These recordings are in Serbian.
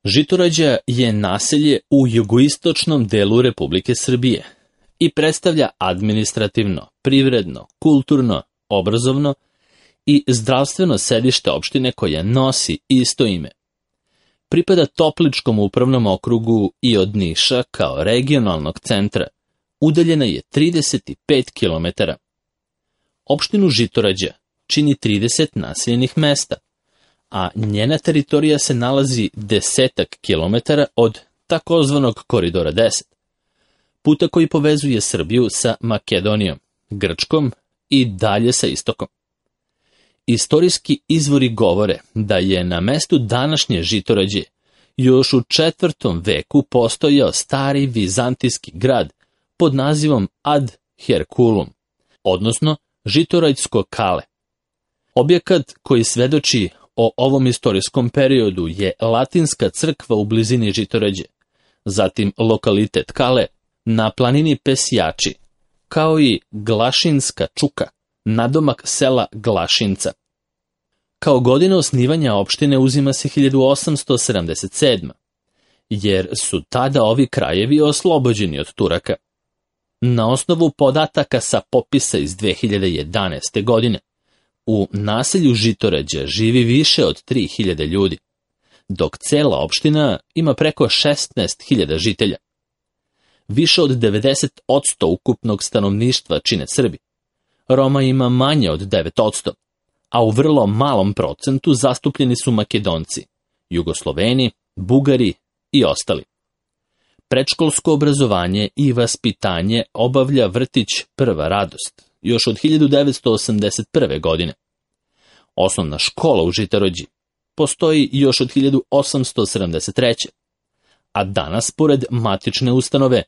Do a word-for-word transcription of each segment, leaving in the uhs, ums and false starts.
Žitorađa je naselje u jugoistočnom delu Republike Srbije i predstavlja administrativno, privredno, kulturno, obrazovno i zdravstveno sedište opštine koja nosi isto ime. Pripada Topličkom upravnom okrugu i od Niša kao regionalnog centra udaljena je trideset pet kilometara. Opštinu Žitorađa čini trideset naseljenih mesta, a njena teritorija se nalazi desetak kilometara od takozvanog Koridora deset, puta koji povezuje Srbiju sa Makedonijom, Grčkom i dalje sa istokom. Istorijski izvori govore da je na mestu današnje Žitorađe još u četvrtom veku postojao stari vizantijski grad pod nazivom Ad Herculum, odnosno Žitorađsko kale. Objekat koji svedoči o ovom istorijskom periodu je latinska crkva u blizini Žitorađe, zatim lokalitet Kale na planini Pesjači, kao i Glašinska čuka, nadomak sela Glašinca. Kao godina osnivanja opštine uzima se hiljadu osamsto sedamdeset sedma, jer su tada ovi krajevi oslobođeni od Turaka. Na osnovu podataka sa popisa iz dve hiljade jedanaeste. godine, u naselju Žitorađa živi više od tri hiljade ljudi, dok cela opština ima preko šesnaest hiljada žitelja. Više od devedeset posto ukupnog stanovništva čine Srbi. Roma ima manje od devet posto, a u vrlo malom procentu zastupljeni su Makedonci, Jugosloveni, Bugari i ostali. Predškolsko obrazovanje i vaspitanje obavlja vrtić Prva radost, još od hiljadu devetsto osamdeset prve. godine. Osnovna škola u Žitorađi postoji još od hiljadu osamsto sedamdeset treće. a danas, pored matične ustanove,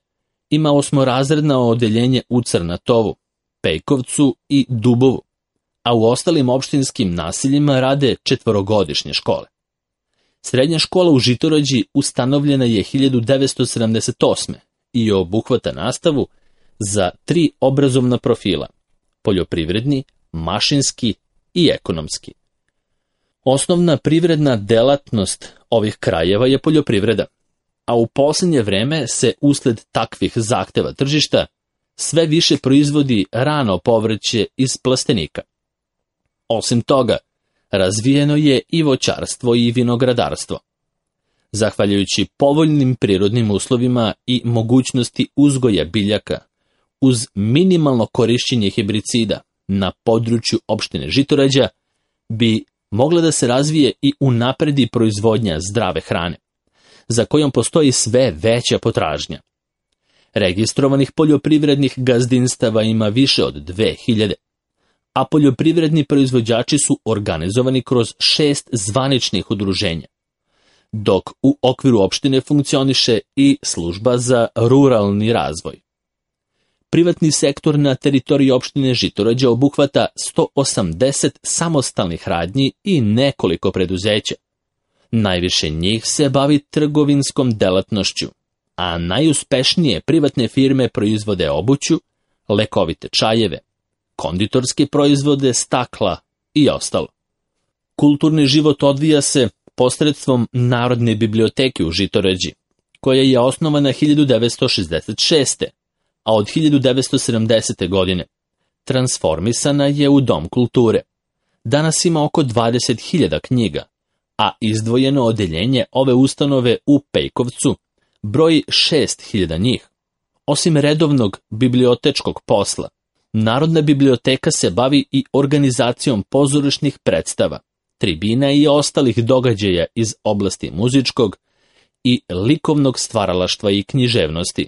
ima osmorazredno odeljenje u Crnatovu, Pejkovcu i Dubovu, a u ostalim opštinskim naseljima rade četvorogodišnje škole. Srednja škola u Žitorađi ustanovljena je hiljadu devetsto sedamdeset osme. i obuhvata nastavu za tri obrazovna profila: poljoprivredni, mašinski i ekonomski. Osnovna privredna delatnost ovih krajeva je poljoprivreda, a u posljednje vreme se usled takvih zahteva tržišta sve više proizvodi rano povrće iz plastenika. Osim toga, razvijeno je i voćarstvo i vinogradarstvo. Zahvaljujući povoljnim prirodnim uslovima i mogućnosti uzgoja biljaka, uz minimalno korišćenje hebricida na području opštine Žitorađa, bi mogla da se razvije i unapredi proizvodnja zdrave hrane, za kojom postoji sve veća potražnja. Registrovanih poljoprivrednih gazdinstava ima više od dve hiljade, a poljoprivredni proizvođači su organizovani kroz šest zvaničnih udruženja, dok u okviru opštine funkcioniše i služba za ruralni razvoj. Privatni sektor na teritoriji opštine Žitorađa obuhvata sto osamdeset samostalnih radnji i nekoliko preduzeća. Najviše njih se bavi trgovinskom delatnošću, a najuspešnije privatne firme proizvode obuću, lekovite čajeve, konditorske proizvode, stakla i ostalo. Kulturni život odvija se posredstvom Narodne biblioteke u Žitorađi, koja je osnovana hiljadu devetsto šezdeset šeste. a od hiljadu devetsto sedamdesete. godine transformisana je u Dom kulture. Danas ima oko dvadeset hiljada knjiga, a izdvojeno odeljenje ove ustanove u Pejkovcu broji šest hiljada njih. Osim redovnog bibliotečkog posla, Narodna biblioteka se bavi i organizacijom pozorišnih predstava, tribina i ostalih događaja iz oblasti muzičkog i likovnog stvaralaštva i književnosti.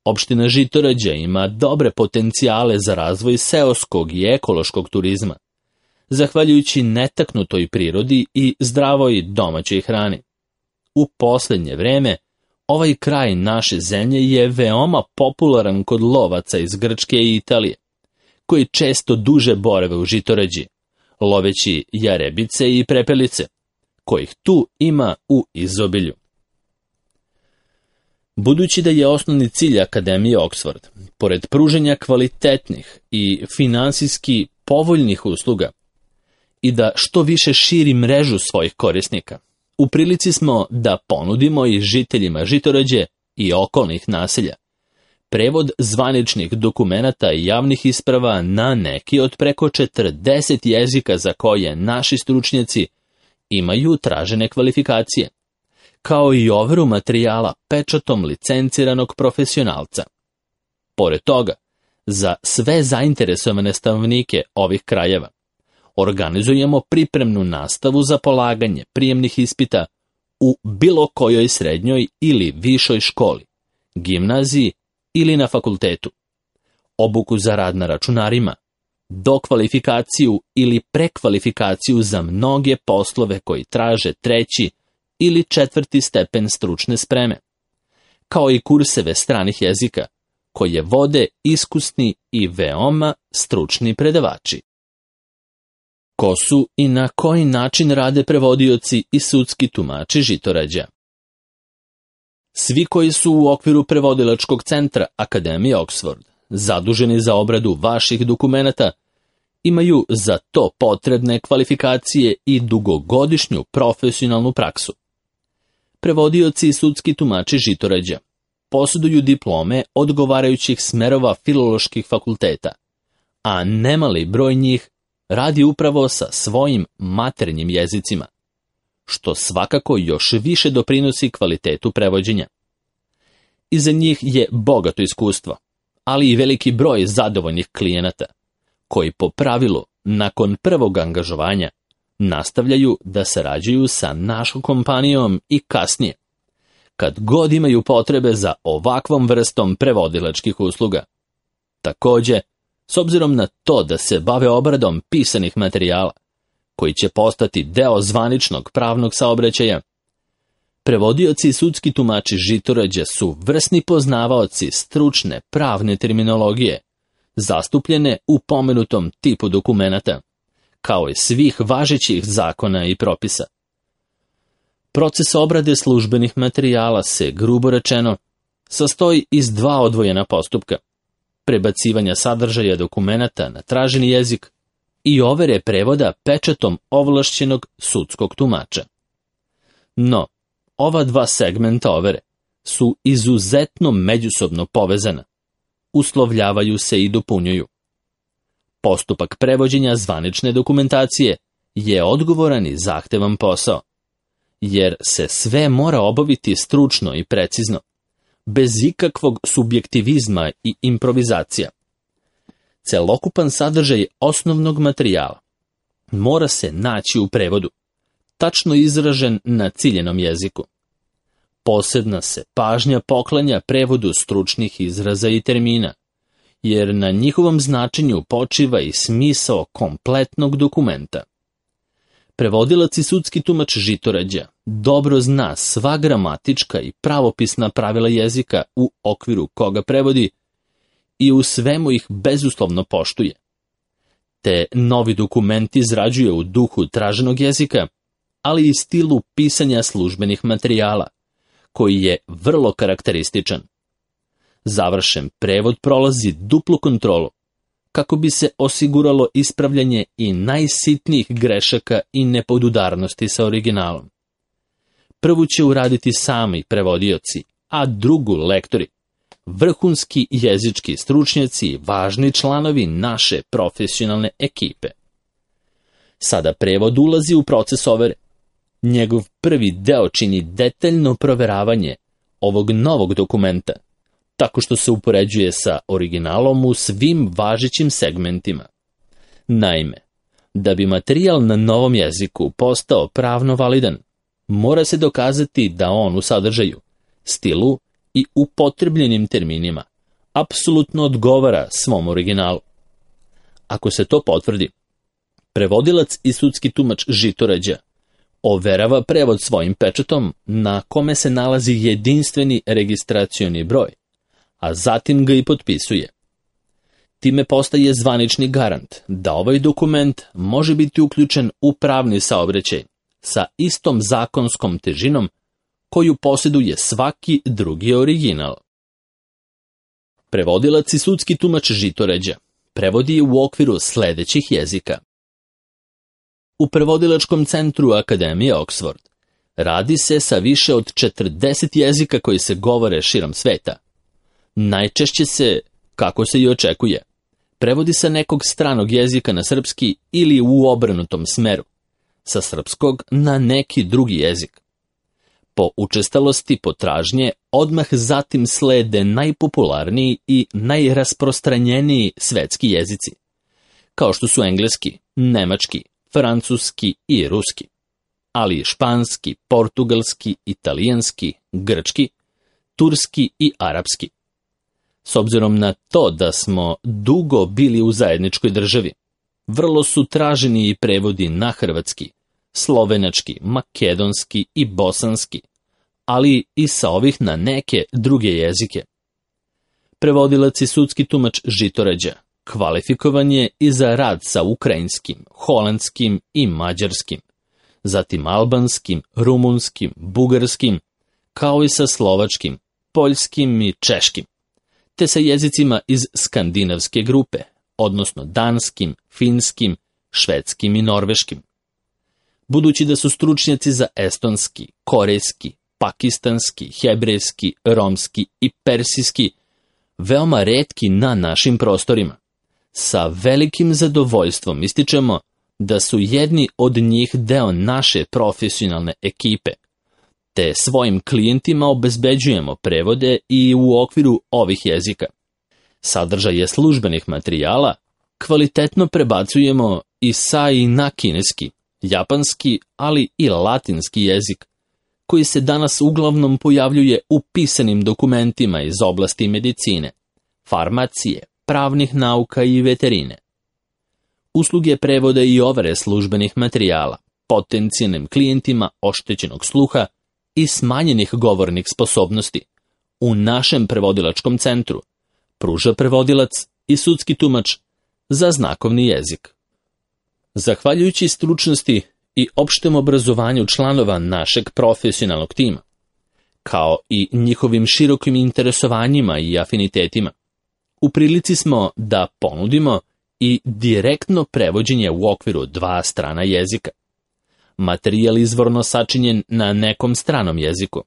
Opština Žitorađa ima dobre potencijale za razvoj seoskog i ekološkog turizma, zahvaljujući netaknutoj prirodi i zdravoj domaćoj hrani. U posljednje vreme, ovaj kraj naše zemlje je veoma popularan kod lovaca iz Grčke i Italije, koji često duže borave u Žitorađi, loveći jarebice i prepelice, kojih tu ima u izobilju. Budući da je osnovni cilj Akademije Oxford, pored pruženja kvalitetnih i finansijski povoljnih usluga, i da što više širi mrežu svojih korisnika, u prilici smo da ponudimo i žiteljima Žitorađe i okolnih naselja prevod zvaničnih dokumenata i javnih isprava na neki od preko četrdeset jezika za koje naši stručnjaci imaju tražene kvalifikacije, kao i overu materijala pečatom licenciranog profesionalca. Pored toga, za sve zainteresovane stanovnike ovih krajeva organizujemo pripremnu nastavu za polaganje prijemnih ispita u bilo kojoj srednjoj ili višoj školi, gimnaziji ili na fakultetu, obuku za rad na računarima, dokvalifikaciju ili prekvalifikaciju za mnoge poslove koji traže treći ili četvrti stepen stručne spreme, kao i kurseve stranih jezika koje vode iskusni i veoma stručni predavači. Ko su i na koji način rade prevodioci i sudski tumači Žitorađa? Svi koji su u okviru prevodilačkog centra Akademije Oxford zaduženi za obradu vaših dokumenata imaju za to potrebne kvalifikacije i dugogodišnju profesionalnu praksu. Prevodioci i sudski tumači Žitorađa posjeduju diplome odgovarajućih smerova filoloških fakulteta, a nemali broj njih radi upravo sa svojim maternjim jezicima, što svakako još više doprinosi kvalitetu prevođenja. Iza njih je bogato iskustvo, ali i veliki broj zadovoljnih klijenata, koji po pravilu, nakon prvog angažovanja, nastavljaju da sarađuju sa našom kompanijom i kasnije, kad god imaju potrebe za ovakvom vrstom prevodilačkih usluga. Također, s obzirom na to da se bave obradom pisanih materijala, koji će postati deo zvaničnog pravnog saobraćaja, prevodioci i sudski tumači Žitorađa su vrsni poznavaoci stručne pravne terminologije, zastupljene u pomenutom tipu dokumenata, kao i svih važećih zakona i propisa. Proces obrade službenih materijala se, grubo rečeno, sastoji iz dva odvojena postupka: prebacivanja sadržaja dokumenata na traženi jezik i overe prevoda pečatom ovlašćenog sudskog tumača. No, ova dva segmenta overe su izuzetno međusobno povezana, uslovljavaju se i dopunjuju. Postupak prevođenja zvanične dokumentacije je odgovoran i zahtevan posao, jer se sve mora obaviti stručno i precizno, bez ikakvog subjektivizma i improvizacija. Celokupan sadržaj osnovnog materijala mora se naći u prevodu, tačno izražen na ciljenom jeziku. Posebna se pažnja poklanja prevodu stručnih izraza i termina, jer na njihovom značenju počiva i smisao kompletnog dokumenta. Prevodilac i sudski tumač Žitorađa dobro zna sva gramatička i pravopisna pravila jezika u okviru koga prevodi i u svemu ih bezuslovno poštuje. Te novi dokument izrađuje u duhu traženog jezika, ali i stilu pisanja službenih materijala, koji je vrlo karakterističan. Završen prevod prolazi duplu kontrolu, kako bi se osiguralo ispravljanje i najsitnijih grešaka i nepodudarnosti sa originalom. Prvu će uraditi sami prevodioci, a drugu lektori, vrhunski jezički stručnjaci i važni članovi naše profesionalne ekipe. Sada prevod ulazi u proces overe. Njegov prvi deo čini detaljno proveravanje ovog novog dokumenta, tako što se upoređuje sa originalom u svim važećim segmentima. Naime, da bi materijal na novom jeziku postao pravno validan, mora se dokazati da on u sadržaju, stilu i upotrebljenim terminima apsolutno odgovara svom originalu. Ako se to potvrdi, prevodilac i sudski tumač Žitorađa overava prevod svojim pečatom na kome se nalazi jedinstveni registracioni broj, a zatim ga i potpisuje. Time postaje zvanični garant da ovaj dokument može biti uključen u pravni saobraćaj sa istom zakonskom težinom koju posjeduje svaki drugi original. Prevodilac i sudski tumač Žitorađa prevodi u okviru sledećih jezika. U prevodilačkom centru Akademije Oxford Radi se sa više od četrdeset jezika koji se govore širom sveta. Najčešće se, kako se i očekuje, prevodi sa nekog stranog jezika na srpski ili u obrnutom smeru, sa srpskog na neki drugi jezik. Po učestalosti potražnje odmah zatim slede najpopularniji i najrasprostranjeniji svetski jezici, kao što su engleski, nemački, francuski i ruski, ali i španski, portugalski, italijanski, grčki, turski i arapski. S obzirom na to da smo dugo bili u zajedničkoj državi, vrlo su traženi i prevodi na hrvatski, slovenački, makedonski i bosanski, ali i sa ovih na neke druge jezike. Prevodilac i sudski tumač Žitorađa kvalifikovan je i za rad sa ukrajinskim, holandskim i mađarskim, zatim albanskim, rumunskim, bugarskim, kao i sa slovačkim, poljskim i češkim, te sa jezicima iz skandinavske grupe, odnosno danskim, finskim, švedskim i norveškim. Budući da su stručnjaci za estonski, korejski, pakistanski, hebrejski, romski i persijski veoma retki na našim prostorima, sa velikim zadovoljstvom ističemo da su jedni od njih deo naše profesionalne ekipe, te svojim klijentima obezbeđujemo prevode i u okviru ovih jezika. Sadržaje službenih materijala kvalitetno prebacujemo i sa i na kineski, japanski, ali i latinski jezik, koji se danas uglavnom pojavljuje u pisanim dokumentima iz oblasti medicine, farmacije, pravnih nauka i veterine. Usluge prevoda i overe službenih materijala potencijalnim klijentima oštećenog sluha i smanjenih govornih sposobnosti u našem prevodilačkom centru pruža prevodilac i sudski tumač za znakovni jezik. Zahvaljujući stručnosti i opštem obrazovanju članova našeg profesionalnog tima, kao i njihovim širokim interesovanjima i afinitetima, u prilici smo da ponudimo i direktno prevođenje u okviru dva strana jezika. Materijal izvorno sačinjen na nekom stranom jeziku.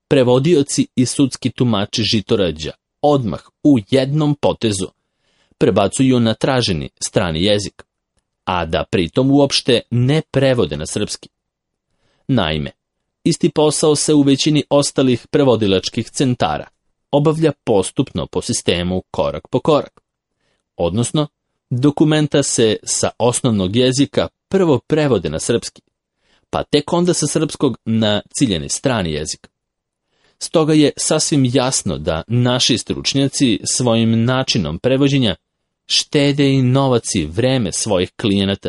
Prevodioci i sudski tumači Žitorađa odmah u jednom potezu prebacuju na traženi strani jezik, a da pritom uopšte ne prevode na srpski. Naime, isti posao se u većini ostalih prevodilačkih centara obavlja postupno po sistemu korak po korak. Odnosno, dokumenta se sa osnovnog jezika prvo prevode na srpski, pa tek onda sa srpskog na ciljeni strani jezik. Stoga je sasvim jasno da naši stručnjaci svojim načinom prevođenja štede i novac i vreme svojih klijenata,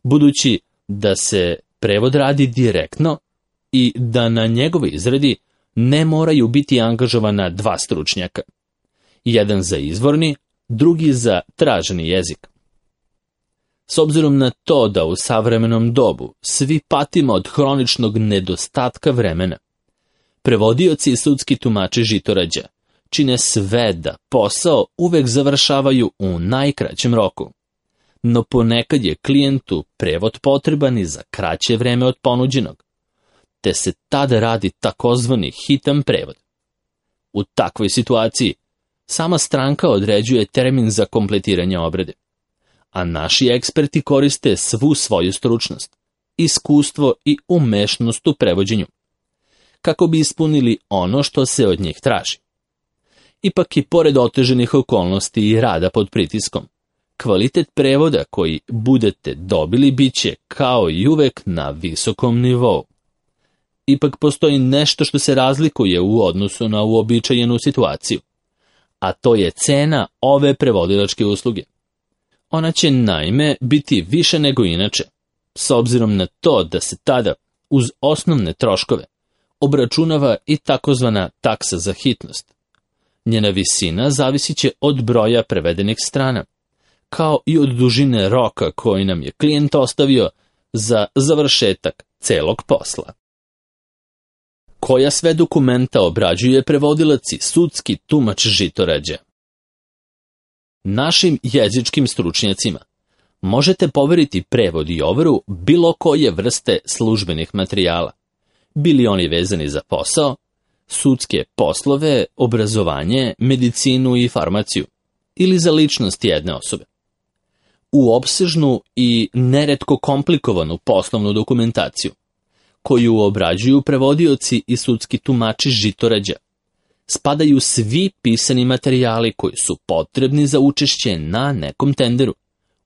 budući da se prevod radi direktno i da na njegovoj izradi ne moraju biti angažovana dva stručnjaka, jedan za izvorni, drugi za traženi jezik. S obzirom na to da u savremenom dobu svi patimo od hroničnog nedostatka vremena, prevodioci i sudski tumači Žitorađa čine sve da posao uvek završavaju u najkraćem roku, no ponekad je klijentu prevod potreban i za kraće vreme od ponuđenog, te se tada radi takozvani hitan prevod. U takvoj situaciji sama stranka određuje termin za kompletiranje obrade, a naši eksperti koriste svu svoju stručnost, iskustvo i umešnost u prevođenju, kako bi ispunili ono što se od njih traži. Ipak i pored oteženih okolnosti i rada pod pritiskom, kvalitet prevoda koji budete dobili bit će kao i uvek na visokom nivou. Ipak postoji nešto što se razlikuje u odnosu na uobičajenu situaciju, a to je cena ove prevodilačke usluge. Ona će naime biti više nego inače, s obzirom na to da se tada uz osnovne troškove obračunava i takozvana taksa za hitnost. Njena visina zavisit će od broja prevedenih strana, kao i od dužine roka koji nam je klijent ostavio za završetak celog posla. Koja sve dokumenta obrađuje prevodilac i sudski tumač Žitorađa? Našim jezičkim stručnjacima možete poveriti prevod i overu bilo koje vrste službenih materijala, bili oni vezani za posao, sudske poslove, obrazovanje, medicinu i farmaciju, ili za ličnost jedne osobe. U opsežnu i neretko komplikovanu poslovnu dokumentaciju, koju obrađuju prevodioci i sudski tumači žitorađa, spadaju svi pisani materijali koji su potrebni za učešće na nekom tenderu,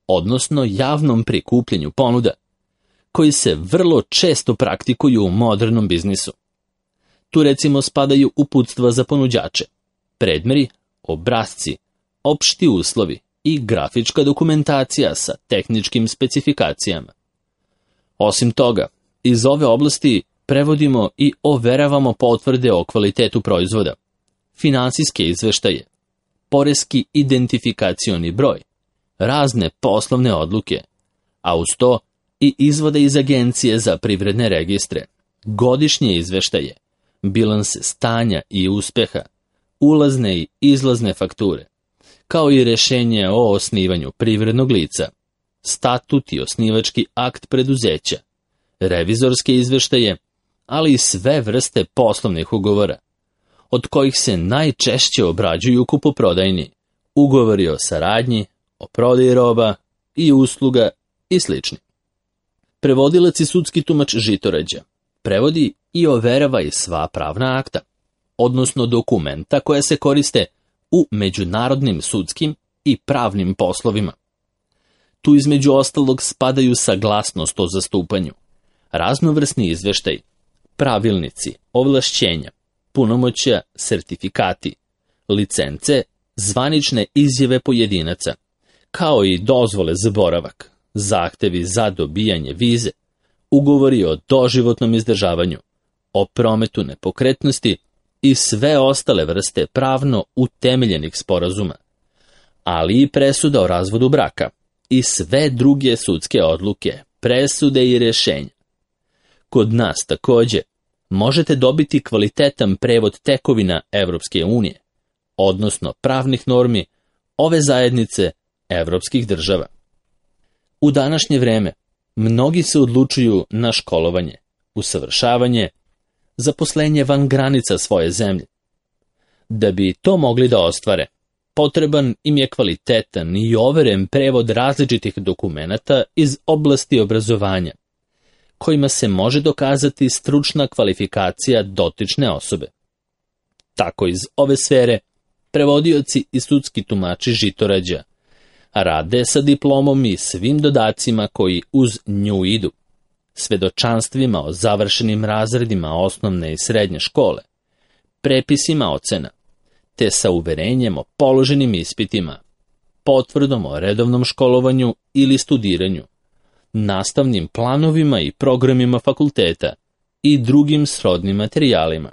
odnosno javnom prikupljanju ponuda, koji se vrlo često praktikuju u modernom biznisu. Tu recimo spadaju uputstva za ponuđače, predmeri, obrasci, opšti uslovi i grafička dokumentacija sa tehničkim specifikacijama. Osim toga, iz ove oblasti prevodimo i overavamo potvrde o kvalitetu proizvoda, finansijske izveštaje, poreski identifikacioni broj, razne poslovne odluke, a uz to i izvode iz Agencije za privredne registre, godišnje izveštaje, bilanse stanja i uspeha, ulazne i izlazne fakture, kao i rešenje o osnivanju privrednog lica, statut i osnivački akt preduzeća, revizorske izveštaje, ali i sve vrste poslovnih ugovora, od kojih se najčešće obrađuju kupoprodajni, ugovori o saradnji, o prodaji roba i usluga i slični. Prevodilac i sudski tumač žitorađa prevodi i overava i sva pravna akta, odnosno dokumenta koja se koriste u međunarodnim sudskim i pravnim poslovima. Tu između ostalog spadaju saglasnost o zastupanju, raznovrsni izveštaj, pravilnici, ovlašćenja, punomoćja, sertifikati, licence, zvanične izjave pojedinaca, kao i dozvole za boravak, zahtevi za dobijanje vize, ugovori o doživotnom izdržavanju, o prometu nepokretnosti i sve ostale vrste pravno utemeljenih sporazuma, ali i presuda o razvodu braka i sve druge sudske odluke, presude i rješenja. Kod nas takođe možete dobiti kvalitetan prevod tekovina Evropske unije, odnosno pravnih normi ove zajednice evropskih država. U današnje vreme mnogi se odlučuju na školovanje, usavršavanje, zaposlenje van granica svoje zemlje. Da bi to mogli da ostvare, potreban im je kvalitetan i overen prevod različitih dokumenata iz oblasti obrazovanja, kojima se može dokazati stručna kvalifikacija dotične osobe. Tako iz ove sfere prevodioci i sudski tumači žitorađa rade sa diplomom i svim dodacima koji uz nju idu, svedočanstvima o završenim razredima osnovne i srednje škole, prepisima ocena, te sa uverenjem o položenim ispitima, potvrdom o redovnom školovanju ili studiranju, nastavnim planovima i programima fakulteta i drugim srodnim materijalima.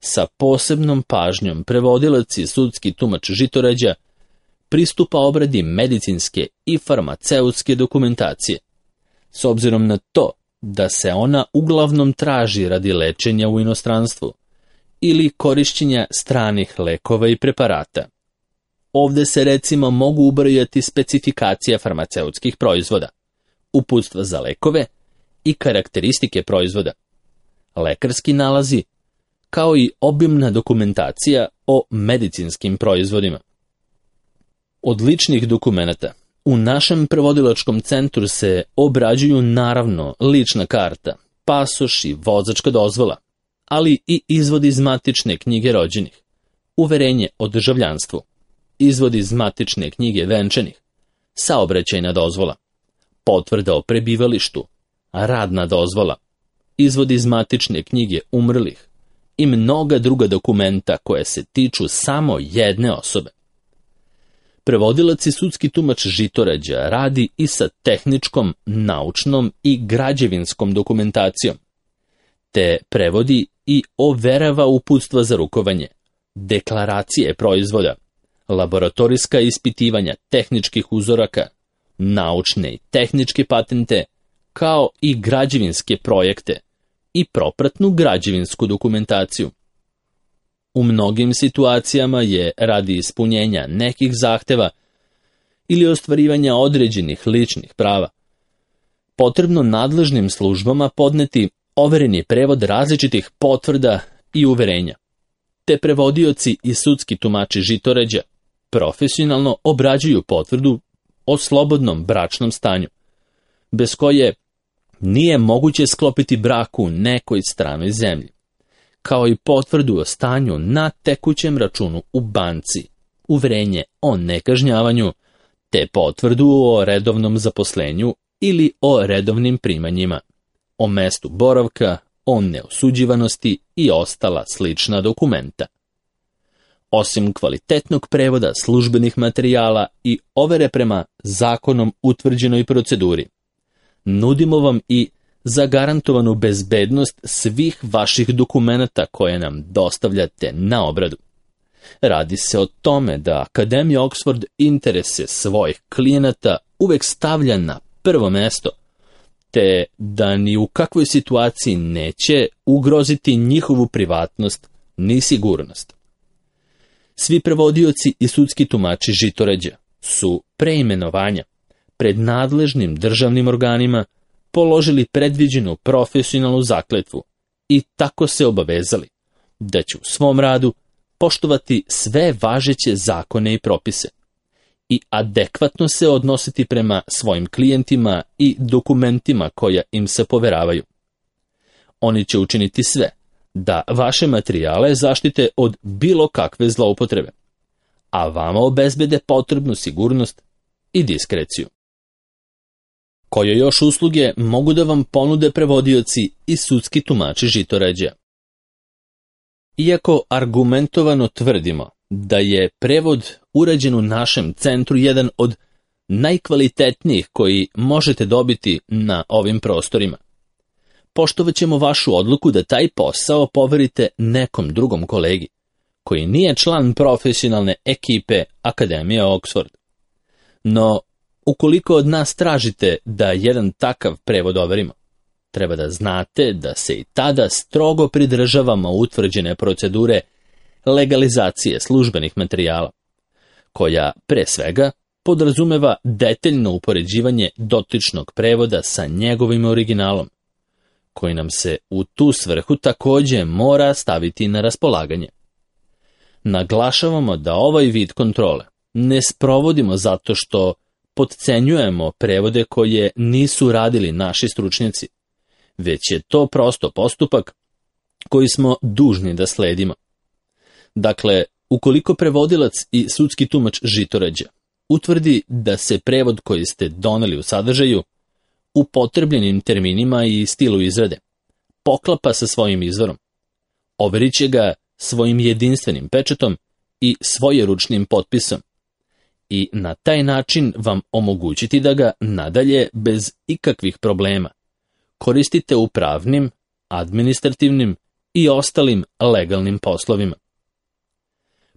Sa posebnom pažnjom prevodilac i sudski tumač žitorađa pristupa obradi medicinske i farmaceutske dokumentacije, s obzirom na to da se ona uglavnom traži radi lečenja u inostranstvu ili korišćenja stranih lekova i preparata. Ovde se recimo mogu ubrojati specifikacija farmaceutskih proizvoda, uputstva za lekove i karakteristike proizvoda, lekarski nalazi, kao i obimna dokumentacija o medicinskim proizvodima. Od ličnih dokumenata u našem prevodilačkom centru se obrađuju naravno lična karta, pasoš i vozačka dozvola, ali i izvod iz matične knjige rođenih, uverenje o državljanstvu, izvod iz matične knjige venčanih, saobraćajna dozvola, potvrda o prebivalištu, radna dozvola, izvod iz matične knjige umrlih i mnoga druga dokumenta koje se tiču samo jedne osobe. Prevodilac i sudski tumač žitorađa radi i sa tehničkom, naučnom i građevinskom dokumentacijom, te prevodi i overava uputstva za rukovanje, deklaracije proizvoda, laboratorijska ispitivanja tehničkih uzoraka, naučne i tehničke patente, kao i građevinske projekte i propratnu građevinsku dokumentaciju. U mnogim situacijama je radi ispunjenja nekih zahteva ili ostvarivanja određenih ličnih prava potrebno nadležnim službama podneti overeni prevod različitih potvrda i uverenja, te prevodioci i sudski tumači žitoređa profesionalno obrađuju potvrdu o slobodnom bračnom stanju, bez koje nije moguće sklopiti brak u nekoj stranoj zemlji, kao i potvrdu o stanju na tekućem računu u banci, uverenje o nekažnjavanju, te potvrdu o redovnom zaposlenju ili o redovnim primanjima, o mestu boravka, o neosuđivanosti i ostala slična dokumenta. Osim kvalitetnog prevoda službenih materijala i overe prema zakonom utvrđenoj proceduri, nudimo vam i zagarantovanu bezbednost svih vaših dokumenata koje nam dostavljate na obradu. Radi se o tome da Akademija Oxford interese svojih klijenata uvek stavlja na prvo mesto, te da ni u kakvoj situaciji neće ugroziti njihovu privatnost ni sigurnost. Svi prevodioci i sudski tumači žitoređa su pre imenovanja pred nadležnim državnim organima položili predviđenu profesionalnu zakletvu i tako se obavezali da će u svom radu poštovati sve važeće zakone i propise i adekvatno se odnositi prema svojim klijentima i dokumentima koja im se poveravaju. Oni će učiniti sve da vaše materijale zaštite od bilo kakve zloupotrebe, a vama obezbede potrebnu sigurnost i diskreciju. Koje još usluge mogu da vam ponude prevodioci i sudski tumači žitoređa? Iako argumentovano tvrdimo da je prevod urađen u našem centru jedan od najkvalitetnijih koji možete dobiti na ovim prostorima, poštovat ćemo vašu odluku da taj posao poverite nekom drugom kolegi, koji nije član profesionalne ekipe Akademije Oxford. No, ukoliko od nas tražite da jedan takav prevod overimo, treba da znate da se i tada strogo pridržavamo utvrđene procedure legalizacije službenih materijala, koja, pre svega, podrazumeva detaljno upoređivanje dotičnog prevoda sa njegovim originalom, koji nam se u tu svrhu takođe mora staviti na raspolaganje. Naglašavamo da ovaj vid kontrole ne sprovodimo zato što potcenjujemo prevode koje nisu radili naši stručnjaci, već je to prosto postupak koji smo dužni da sledimo. Dakle, ukoliko prevodilac i sudski tumač žitoređa utvrdi da se prevod koji ste doneli u sadržaju, upotrebljenim terminima i stilu izrade, poklapa sa svojim izvorom, overit će ga svojim jedinstvenim pečatom i svojeručnim potpisom i na taj način vam omogućiti da ga nadalje bez ikakvih problema koristite u pravnim, administrativnim i ostalim legalnim poslovima.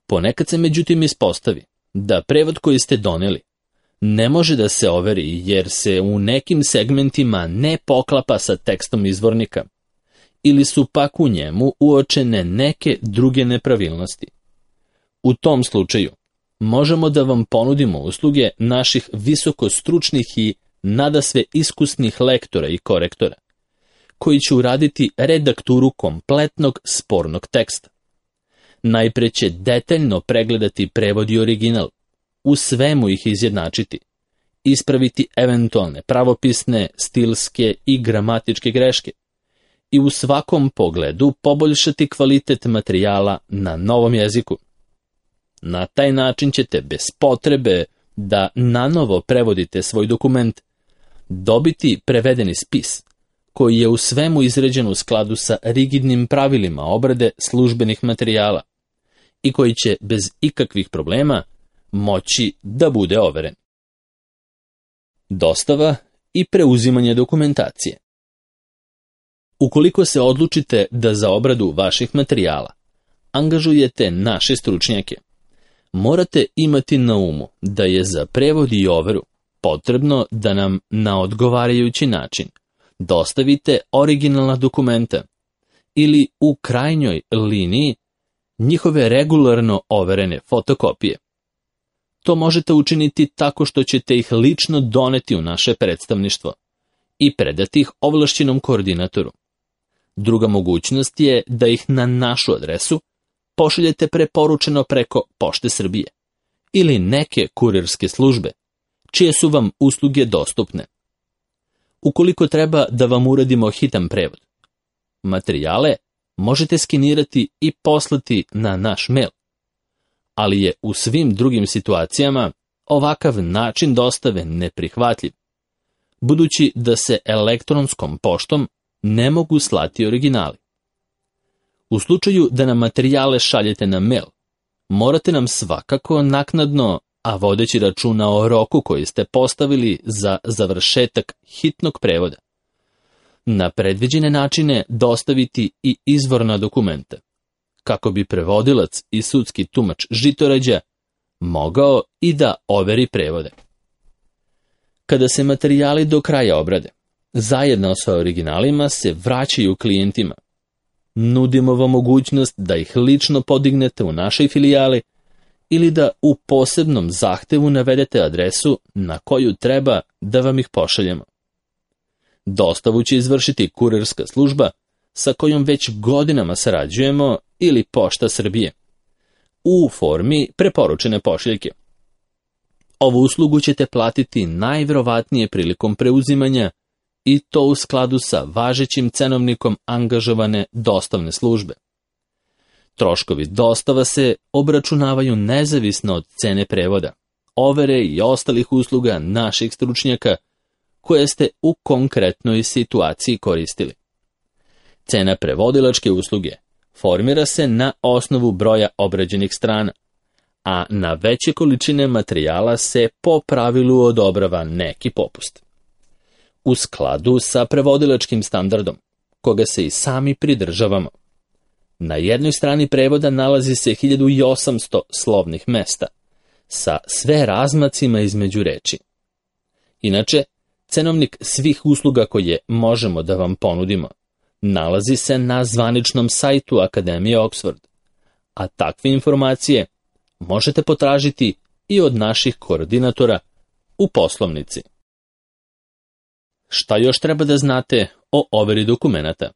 Ponekad se međutim ispostavi da prevod koji ste doneli ne može da se overi jer se u nekim segmentima ne poklapa sa tekstom izvornika ili su pak u njemu uočene neke druge nepravilnosti. U tom slučaju možemo da vam ponudimo usluge naših visokostručnih i nadasve iskusnih lektora i korektora, koji će uraditi redakturu kompletnog spornog teksta. Najpre će detaljno pregledati prevod i original, u svemu ih izjednačiti, ispraviti eventualne pravopisne, stilske i gramatičke greške i u svakom pogledu poboljšati kvalitet materijala na novom jeziku. Na taj način ćete bez potrebe da nanovo prevodite svoj dokument dobiti prevedeni spis, koji je u svemu izrađen u skladu sa rigidnim pravilima obrade službenih materijala i koji će bez ikakvih problema moći da bude overen. Dostava i preuzimanje dokumentacije. Ukoliko se odlučite da za obradu vaših materijala angažujete naše stručnjake, morate imati na umu da je za prevod i overu potrebno da nam na odgovarajući način dostavite originalna dokumenta ili u krajnjoj liniji njihove regularno overene fotokopije. To možete učiniti tako što ćete ih lično doneti u naše predstavništvo i predati ih ovlašćenom koordinatoru. Druga mogućnost je da ih na našu adresu pošaljete preporučeno preko Pošte Srbije ili neke kurirske službe, čije su vam usluge dostupne. Ukoliko treba da vam uradimo hitan prevod, materijale možete skenirati i poslati na naš mail, ali je u svim drugim situacijama ovakav način dostave neprihvatljiv, budući da se elektronskom poštom ne mogu slati originali. U slučaju da nam materijale šaljete na mail, morate nam svakako naknadno, a vodeći računa o roku koji ste postavili za završetak hitnog prevoda, na predviđene načine dostaviti i izvorna dokumenta, kako bi prevodilac i sudski tumač Žitorađa mogao i da overi prevode. Kada se materijali do kraja obrade, zajedno sa originalima se vraćaju klijentima. Nudimo vam mogućnost da ih lično podignete u našoj filijali ili da u posebnom zahtevu navedete adresu na koju treba da vam ih pošaljemo. Dostavu će izvršiti kurirska služba sa kojom već godinama sarađujemo ili Pošta Srbije u formi preporučene pošiljke. Ovu uslugu ćete platiti najverovatnije prilikom preuzimanja i to u skladu sa važećim cenovnikom angažovane dostavne službe. Troškovi dostava se obračunavaju nezavisno od cene prevoda, overe i ostalih usluga naših stručnjaka koje ste u konkretnoj situaciji koristili. Cena prevodilačke usluge formira se na osnovu broja obrađenih strana, a na veće količine materijala se po pravilu odobrava neki popust. U skladu sa prevodilačkim standardom, koga se i sami pridržavamo, na jednoj strani prevoda nalazi se hiljadu osamsto slovnih mesta, sa sve razmacima između reči. Inače, cenovnik svih usluga koje možemo da vam ponudimo nalazi se na zvaničnom sajtu Akademije Oxford, a takve informacije možete potražiti i od naših koordinatora u poslovnici. Šta još treba da znate o overi dokumenata?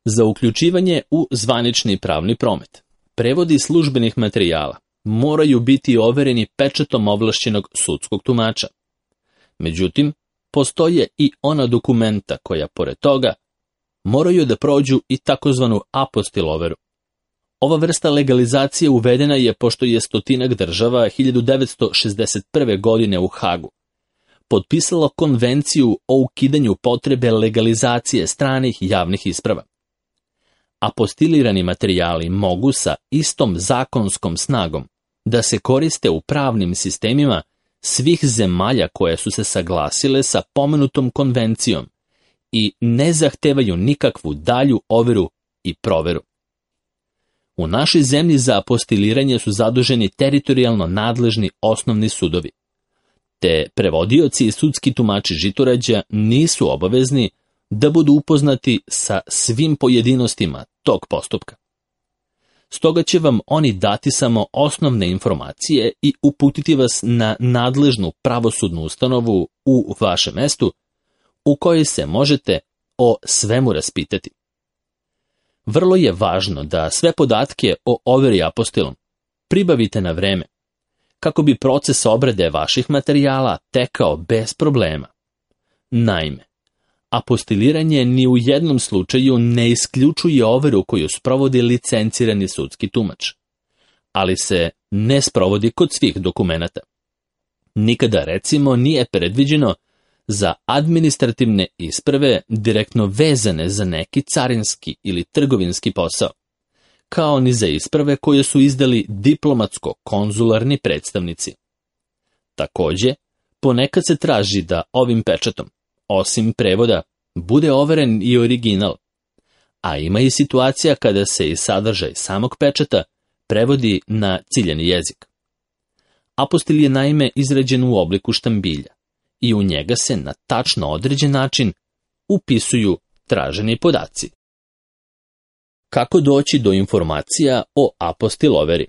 Za uključivanje u zvanični pravni promet, prevodi službenih materijala moraju biti overeni pečatom ovlašćenog sudskog tumača. Međutim, postoje i ona dokumenta koja, pored toga, moraju da prođu i takozvanu apostil overu. Ova vrsta legalizacije uvedena je pošto je stotinak država hiljadu devetsto šezdeset prve. godine u Hagu potpisalo konvenciju o ukidanju potrebe legalizacije stranih javnih isprava. Apostilirani materijali mogu sa istom zakonskom snagom da se koriste u pravnim sistemima svih zemalja koje su se saglasile sa pomenutom konvencijom i ne zahtevaju nikakvu dalju overu i proveru. U našoj zemlji za apostiliranje su zaduženi teritorijalno nadležni osnovni sudovi, te prevodioci i sudski tumači Žitorađa nisu obavezni da budu upoznati sa svim pojedinostima tog postupka. Stoga će vam oni dati samo osnovne informacije i uputiti vas na nadležnu pravosudnu ustanovu u vašem mestu, u kojoj se možete o svemu raspitati. Vrlo je važno da sve podatke o overi apostilom pribavite na vreme, kako bi proces obrade vaših materijala tekao bez problema. Naime, apostiliranje ni u jednom slučaju ne isključuje overu koju sprovodi licencirani sudski tumač, ali se ne sprovodi kod svih dokumenata. Nikada, recimo, nije predviđeno za administrativne isprave direktno vezane za neki carinski ili trgovinski posao, kao ni za isprave koje su izdali diplomatsko-konzularni predstavnici. Takođe, ponekad se traži da ovim pečatom, osim prevoda, bude overen i original, a ima i situacija kada se i sadržaj samog pečata prevodi na ciljani jezik. Apostil je naime izrađen u obliku štambilja i u njega se na tačno određen način upisuju traženi podaci. Kako doći do informacija o apostil overi?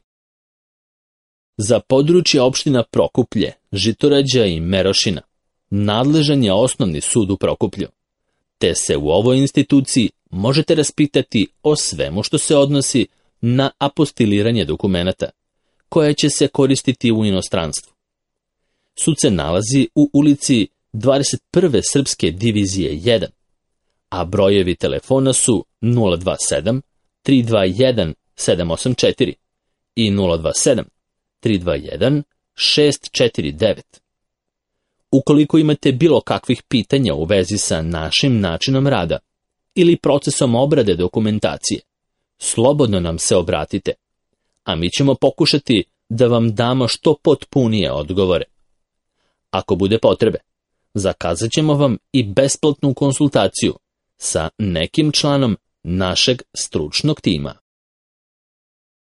Za područje opština Prokuplje, Žitorađa i Merošina nadležan je osnovni sud u Prokuplju, te se u ovoj instituciji možete raspitati o svemu što se odnosi na apostiliranje dokumenata, koje će se koristiti u inostranstvu. Sud se nalazi u ulici dvadeset prve Srpske divizije jedan, a brojevi telefona su nula dva sedam tri dva jedan sedam osam četiri i nula dva sedam tri dva jedan šest četiri devet. Ukoliko imate bilo kakvih pitanja u vezi sa našim načinom rada ili procesom obrade dokumentacije, slobodno nam se obratite, a mi ćemo pokušati da vam damo što potpunije odgovore. Ako bude potrebe, zakazat ćemo vam i besplatnu konsultaciju sa nekim članom našeg stručnog tima.